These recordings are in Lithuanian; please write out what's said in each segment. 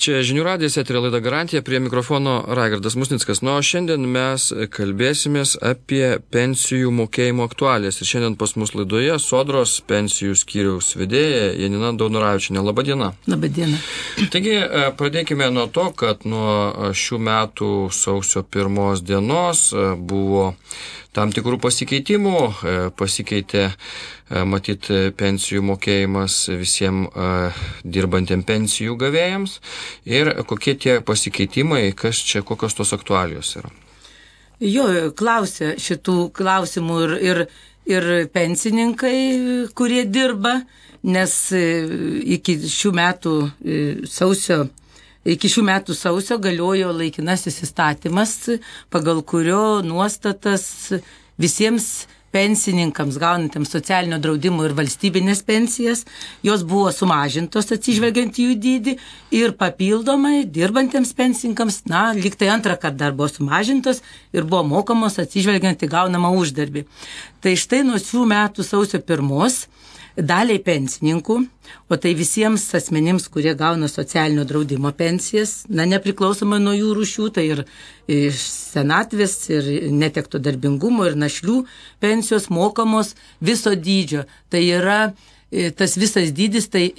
Čia Žinių radijas, eterio laida Garantija, prie mikrofono Raigardas Musnickas. O šiandien mes kalbėsimės apie pensijų mokėjimo aktualijas. Ir šiandien pas mus laidoje Sodros pensijų skyriaus vedėja Janina Daunoravičienė. Labą dieną. Labą dieną. Taigi, pradėkime nuo to, kad nuo šių metų sausio 1 dienos buvo tam tikrų pasikeitimų, pasikeitė matyt pensijų mokėjimas visiems dirbantiem pensijų gavėjams ir kokie tie pasikeitimai, kokios tos aktualijos yra. Jo, klausia šitų klausimų ir pensininkai, kurie dirba, nes iki šių metų sausio galiojo laikinasis įstatymas, pagal kurio nuostatas visiems pensininkams gaunantiems socialinio draudimo ir valstybinės pensijas, jos buvo sumažintos atsižvelgiant į jų dydį ir papildomai dirbantiems pensininkams, lyg tai antrą kartą dar buvo sumažintos ir buvo mokamos atsižvelgiant į gaunamą uždarbį. Tai štai nuo šių metų sausio 1 daliai pensininkų, o tai visiems asmenims, kurie gauna socialinio draudimo pensijas, nepriklausomai nuo jų rūšių, tai ir senatvės, ir netekto darbingumo, ir našlių pensijos mokamos viso dydžio. Tai yra tas visas dydis, tai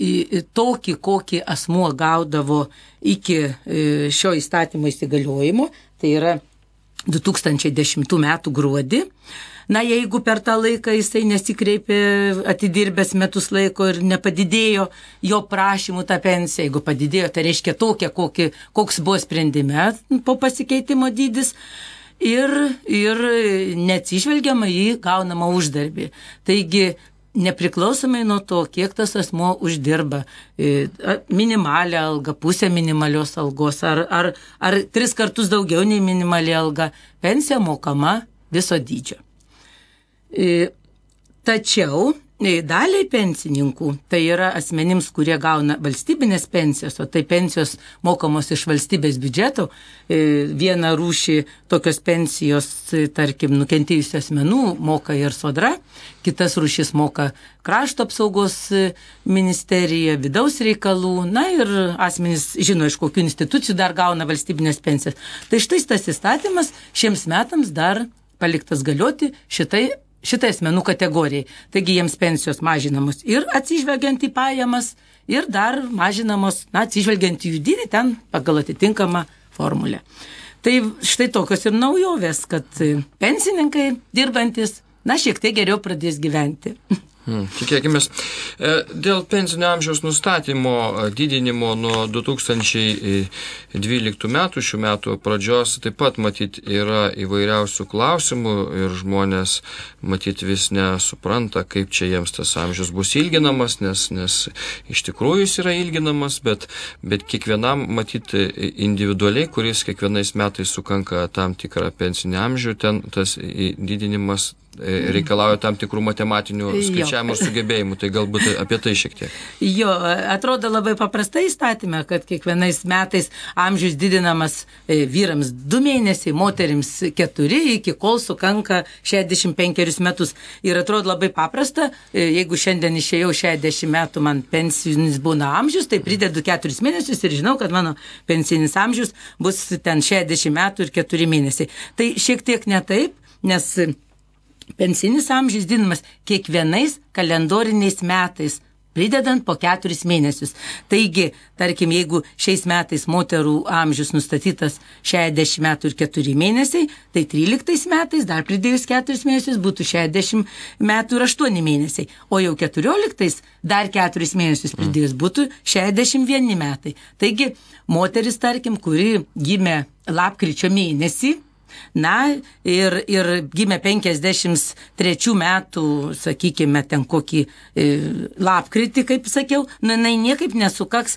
tokį, kokį asmuo gaudavo iki šio įstatymo įsigaliojimo, tai yra 2010 metų gruodį. Jeigu per tą laiką jisai nesikreipė atidirbęs metus laiko ir nepadidėjo jo prašymų tą pensiją, jeigu padidėjo, tai reiškia tokia, koks buvo sprendime po pasikeitimo dydis ir neatsižvelgiama į gaunamą uždarbį. Taigi, nepriklausomai nuo to, kiek tas asmuo uždirba, minimalią algą, pusę minimalios algos ar 3 kartus daugiau nei minimali alga, pensija mokama viso dydžio. Tačiau daliai pensininkų, tai yra asmenims, kurie gauna valstybinės pensijos, o tai pensijos mokamos iš valstybės biudžeto, vieną rūšį tokios pensijos, tarkim, nukentėjusių asmenų moka ir Sodra, kitas rūšis moka Krašto apsaugos ministerija, vidaus reikalų, ir asmenys žino, iš kokių institucijų dar gauna valstybinės pensijas. Tai štai tas įstatymas šiems metams dar paliktas galioti šitai asmenų kategorijai. Taigi jiems pensijos mažinamos ir atsižvelgiant į pajamas, ir dar mažinamos, atsižvelgiant į jų dydį ten pagal atitinkamą formulę. Tai štai tokios ir naujovės, kad pensininkai dirbantis, šiek tiek geriau pradės gyventi. Tikėkimės. Dėl pensinio amžiaus nustatymo didinimo nuo 2012 metų, šių metų pradžios, taip pat matyt yra įvairiausių klausimų ir žmonės matyt vis nesupranta, kaip čia jiems tas amžius bus ilginamas, nes iš tikrųjų jis yra ilginamas, bet kiekvienam matyt individualiai, kuris kiekvienais metais sukanka tam tikrą pensinį amžių, ten tas didinimas reikalauja tam tikrų matematinių skaičiavimų ir sugebėjimų, tai galbūt apie tai šiek tiek. Jo, atrodo labai paprastai įstatyme, kad kiekvienais metais amžius didinamas vyrams 2 mėnesiai, moterims 4, iki kol sukanka 65 metus. Ir atrodo labai paprasta, jeigu šiandien išėjau 60 metų, man pensinis būna amžius, tai pridedu 4 mėnesius ir žinau, kad mano pensinis amžius bus ten 60 metų ir 4 mėnesiai. Tai šiek tiek ne taip, nes pensinis amžius didinamas kiekvienais kalendoriniais metais, pridedant po 4 mėnesius. Taigi, tarkim, jeigu šiais metais moterų amžius nustatytas 60 metų ir 4 mėnesiai, tai 13 metais, dar pridėjus 4 mėnesius, būtų 60 metų ir 8 mėnesiai. O jau 14 dar 4 mėnesius pridėjus būtų 61 metai. Taigi, moteris, tarkim, kuri gimė lapkričio mėnesį, ir gimė 53 metų, sakykime, ten kokį lapkritį, kaip sakiau, jinai niekaip nesukaks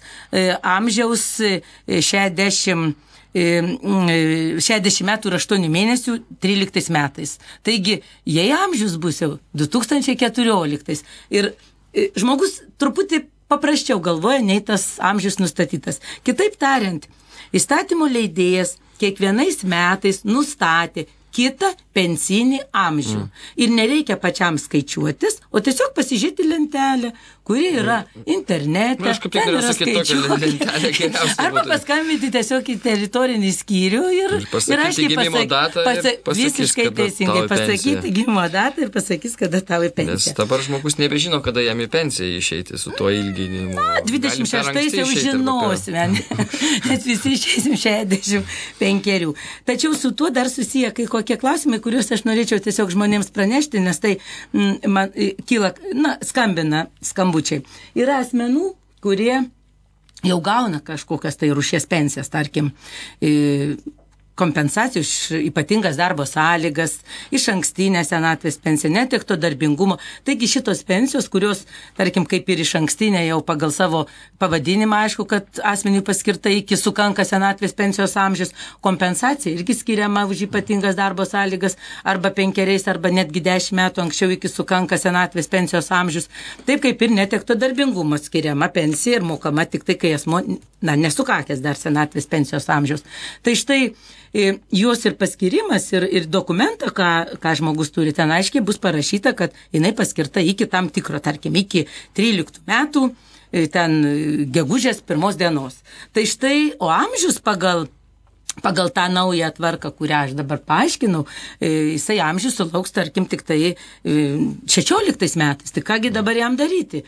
amžiaus 60 metų ir 8 mėnesių 13 metais. Taigi, jei amžius bus jau 2014 ir žmogus truputį paprasčiau galvoja, nei tas amžius nustatytas. Kitaip tariant, įstatymo leidėjas kiekvienais metais nustatė kitą pensinį amžių. Ir nereikia pačiam skaičiuotis, o tiesiog pasižiūrėti lentelę, kuri yra internete. Aš kaip tik yra sakyti tokią lentelę geriausiai. Arba paskambinti tiesiog į teritorinį skyrių ir pasakyti gimimo datą ir pasakys, visiškai teisingai pasakyti gimimo datą ir pasakys, kada tau į pensiją. Nes dabar žmogus nebežino, kada jam į pensiją išeiti su tuo ilginimu. 26 jau žinosime, nes visi išeisim 65. Tačiau su tuo dar susiję kai kokie klausimai, kuriuos aš norėčiau tiesiog žmonėms pranešti, nes tai man kyla, skambina skambučiai. Yra asmenų, kurie jau gauna kažkokias tai rūšies pensijas, tarkim, kompensacijų iš ypatingas darbo sąlygas, iš ankstinę senatvės pensiją, netekto darbingumo. Taigi šitos pensijos, kurios, tarkim, kaip ir iš ankstinę jau pagal savo pavadinimą, aišku, kad asmeniui paskirta iki sukanka senatvės pensijos amžius, kompensacija irgi skiriama už ypatingas darbo sąlygas arba 5 arba netgi 10 metų anksčiau iki sukanka senatvės pensijos amžius. Taip kaip ir netekto darbingumo skiriama pensija ir mokama tik tai, kai asmuo, nesukakęs dar senatvės pensijos amžiaus. Tai štai jos ir paskirimas ir dokumentą, ką žmogus turi, ten aiškiai bus parašyta, kad jinai paskirta iki tam tikro, tarkim, iki 13 metų, ten gegužės 1 dienos. Tai štai, o amžius pagal tą naują tvarką, kurią aš dabar paaiškinau, jisai amžius sulauks, tarkim, tik tai 16 metais. Tai kągi dabar jam daryti?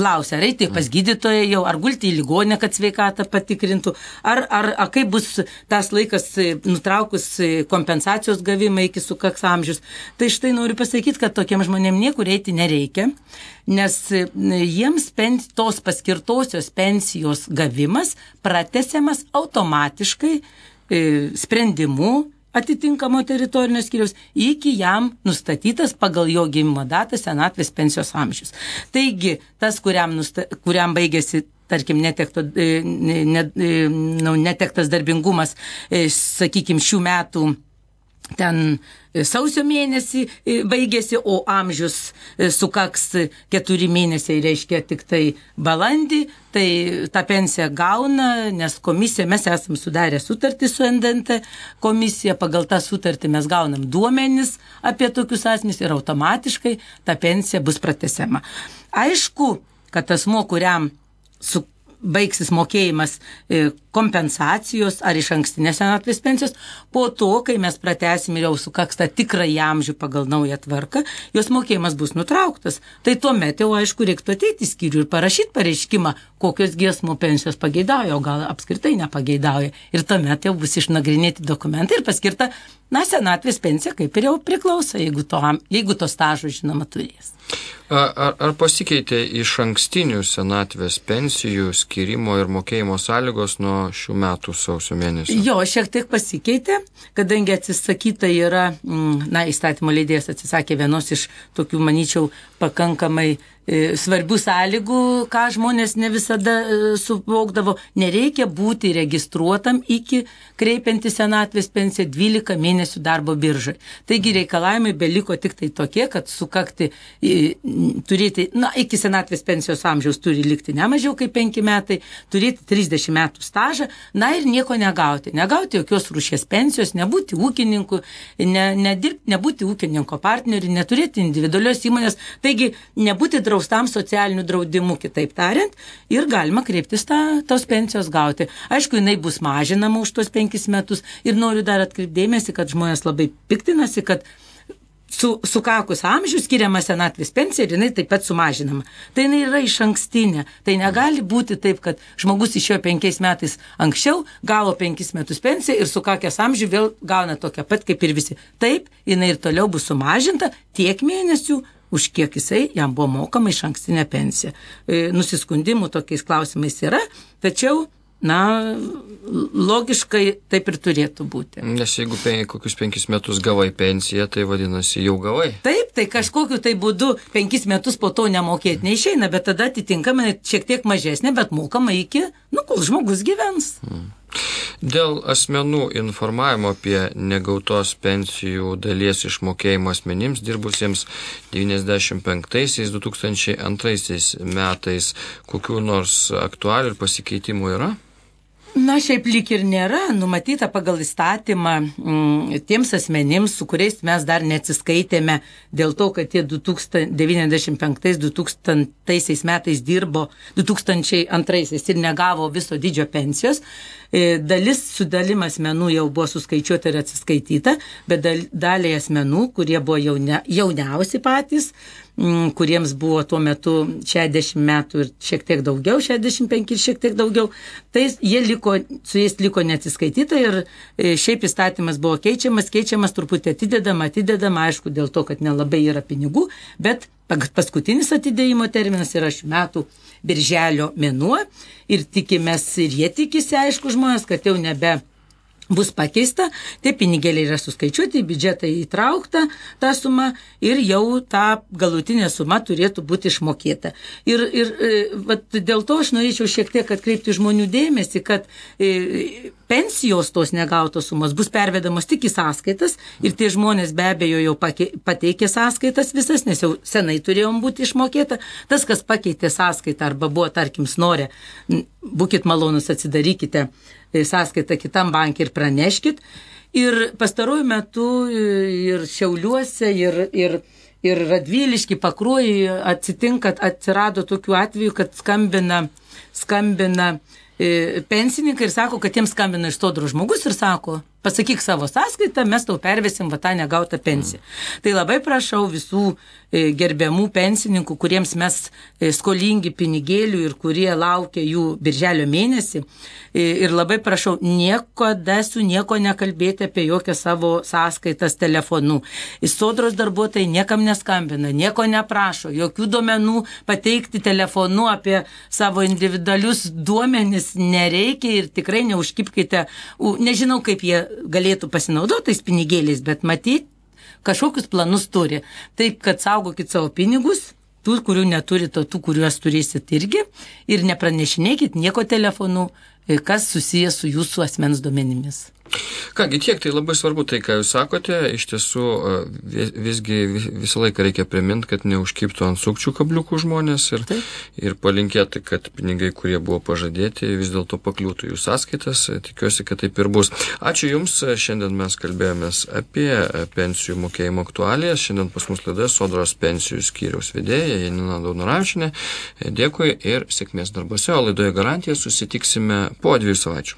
Klausia, ar eiti pas gydytoją jau, ar gulti į ligoninę, kad sveikatą patikrintų, ar kaip bus tas laikas nutraukus kompensacijos gavimą iki sukaks amžius. Tai štai noriu pasakyti, kad tokiem žmonėm niekur eiti nereikia, nes jiems tos paskirtosios pensijos gavimas pratęsiamas automatiškai sprendimu atitinkamo teritorinio skyriaus iki jam nustatytas pagal jo gimimo datą senatvės pensijos amžius. Taigi, tas, kuriam baigėsi, tarkim, netektas darbingumas, sakykime, šių metų ten sausio mėnesį baigėsi, o amžius sukaks 4 mėnesiai, reiškia tik tai balandį, tai tą pensiją gauna, nes komisija, mes esam sudarę sutartį su NDNT komisija, pagal tą sutartį mes gaunam duomenis apie tokius asmenys ir automatiškai ta pensija bus pratęsiama. Aišku, kad asmuo, kuriam baigsis mokėjimas kompensacijos ar iš ankstinės senatvės pensijos, po to, kai mes pratęsim ir jau sukaks tą tikrąjį amžių pagal naują tvarką, jos mokėjimas bus nutrauktas. Tai tuomet jau, aišku, reiktų ateiti į skyrių ir parašyti pareiškimą, kokios giesmų pensijos pageidauja, o gal apskritai nepageidauja. Ir tuomet jau bus išnagrinėti dokumentai ir paskirta, senatvės pensija kaip ir jau priklauso, jeigu to stažo, žinoma, turės. Ar pasikeitė iš ankstinių senatvės pensijų skirimo ir mokėjimo sąlygos nuo šių metų sausio mėnesio? Jo, šiek tiek pasikeitė, kadangi atsisakyta yra, įstatymo leidėjas atsisakė vienos iš tokių, manyčiau, pakankamai svarbių sąlygų, ką žmonės ne visada suvokdavo. Nereikia būti registruotam iki kreipiantis senatvės pensiją 12 mėnesių darbo biržai. Taigi reikalavimai beliko tik tai tokie, kad sukakti, turėti, iki senatvės pensijos amžiaus turi likti ne mažiau kaip 5 metai, turėti 30 metų stažą, ir nieko negauti. Negauti jokios rūšies pensijos, nebūti ūkininku, nebūti ūkininko partneriu, neturėti individualios įmonės, taigi nebūti draustam socialiniu draudimu, kitaip tariant, ir galima kreiptis tos pensijos gauti. Aišku, jinai bus mažinama už tos 5 metus ir noriu dar atkreipdėmėsi, kad žmonės labai piktinasi, kad sukakus amžių skiriama senatvės pensija ir jinai taip pat sumažinama. Tai jinai yra iš ankstinė. Tai negali būti taip, kad žmogus išėjo 5 metais anksčiau, gavo 5 metus pensiją ir sukakęs amžių vėl gauna tokią pat kaip ir visi. Taip, jinai ir toliau bus sumažinta tiek mėnesių, už kiek jisai jam buvo mokama iš ankstinė pensija. Nusiskundimų tokiais klausimais yra, tačiau logiškai taip ir turėtų būti. Nes jeigu kokius 5 metus gavai pensiją, tai vadinasi jau gavai. Taip, tai kažkokiu tai būdu 5 metus po to nemokėti neišeina, bet tada atitinkamai šiek tiek mažesnė, bet mokama iki, kol žmogus gyvens. Dėl asmenų informavimo apie negautos pensijų dalies išmokėjimą asmenims dirbusiems 95-2002 metais, kokių nors aktualių ir pasikeitimų yra? Na, šiaip lyg ir nėra numatyta pagal įstatymą tiems asmenims, su kuriais mes dar neatsiskaitėme dėl to, kad tie 1995-2000 metais dirbo 2002 ir negavo viso dydžio pensijos. Dalis sudalim asmenų jau buvo suskaičiuota ir atsiskaityta, bet daliai asmenų, kurie buvo jauniausi patys, kuriems buvo tuo metu 60 metų ir šiek tiek daugiau, 65 ir šiek tiek daugiau, tai su jais liko neatsiskaityta ir šiaip įstatymas buvo keičiamas, truputį atidedama, aišku, dėl to, kad nelabai yra pinigų, bet paskutinis atidėjimo terminas yra šių metų birželio mėnuo ir tikimės, ir jie tikisi, aišku, žmonės, kad jau nebe bus pakeista, tie pinigėliai yra suskaičiuoti, į biudžetą įtraukta ta suma ir jau ta galutinė suma turėtų būti išmokėta. Ir dėl to aš norėčiau šiek tiek atkreipti žmonių dėmesį, kad pensijos tos negautos sumos bus pervedamos tik į sąskaitas ir tie žmonės be abejo jau pateikė sąskaitas visas, nes jau senai turėjom būti išmokėta. Tas, kas pakeitė sąskaitą arba buvo, tarkim, snorė, būkit malonus, atsidarykite sąskaitą kitam bankui ir praneškit. Ir pastaruoju metu ir Šiauliuose, ir Radvilišky, Pakruojyje atsirado tokių atvejų, kad skambina pensininkai ir sako, kad jiems skambina iš Sodros žmogus ir sako, pasakyk savo sąskaitą, mes tau pervesim tą negautą pensiją. Tai labai prašau visų gerbiamų pensininkų, kuriems mes skolingi pinigėlių ir kurie laukia jų birželio mėnesį. Ir labai prašau, nieko nekalbėti apie jokią savo sąskaitas telefonu. Sodros darbuotojai niekam neskambina, nieko neprašo, jokių duomenų pateikti telefonu apie savo individualius duomenis nereikia ir tikrai neužkipkite, nežinau, kaip jie galėtų pasinaudoti tais pinigėliais, bet matyt, kažkokius planus turi. Taip, kad saugokit savo pinigus, tų, kurių neturite, tų, kuriuos turėsit irgi, ir nepranešinėkit nieko telefonu, kas susijęs su jūsų asmens duomenimis. Kągi, tiek, tai labai svarbu tai, ką jūs sakote. Iš tiesų, visgi visą laiką reikia priminti, kad neužkibtų ant sukčių kabliukų žmonės ir palinkėti, kad pinigai, kurie buvo pažadėti, vis dėlto pakliūtų jų sąskaitas. Tikiuosi, kad taip ir bus. Ačiū Jums. Šiandien mes kalbėjomės apie pensijų mokėjimo aktualijas. Šiandien pas mus laidoje Sodros pensijų skyriaus vedėja Janina Daunoravičienė. Dėkui ir sėkmės darbuose. O laidoje Garantija susitiksime po 2 savaičių.